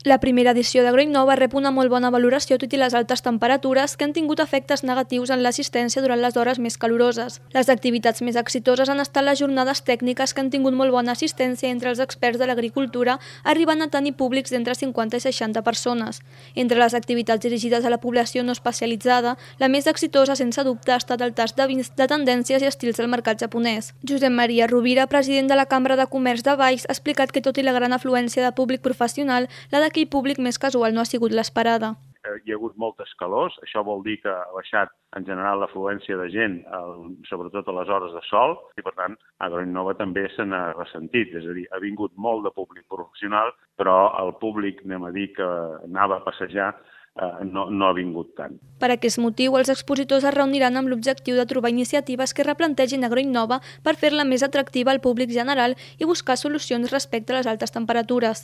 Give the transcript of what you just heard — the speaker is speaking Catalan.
La primera edició d'Agroinnova rep una molt bona valoració tot i les altes temperatures que han tingut efectes negatius en l'assistència durant les hores més caloroses. Les activitats més exitoses han estat les jornades tècniques que han tingut molt bona assistència entre els experts de l'agricultura, arribant a tenir públics d'entre 50 i 60 persones. Entre les activitats dirigides a la població no especialitzada, la més exitosa sense dubte ha estat el tast de vins de tendències i estils del mercat japonès. Josep Maria Rovira, president de la Cambra de Comerç de Valls, ha explicat que tot i la gran afluència de públic professional, la d'aquell públic més casual no ha sigut l'esperada. Hi ha hagut moltes calors, això vol dir que ha baixat en general l'afluència de gent, sobretot a les hores de sol, i per tant Agroinnova també se n'ha ressentit, és a dir, ha vingut molt de públic professional, però el públic, anem a dir, que anava a passejar, no ha vingut tant. Per aquest motiu, els expositors es reuniran amb l'objectiu de trobar iniciatives que replantegin Agroinnova per fer-la més atractiva al públic general i buscar solucions respecte a les altes temperatures.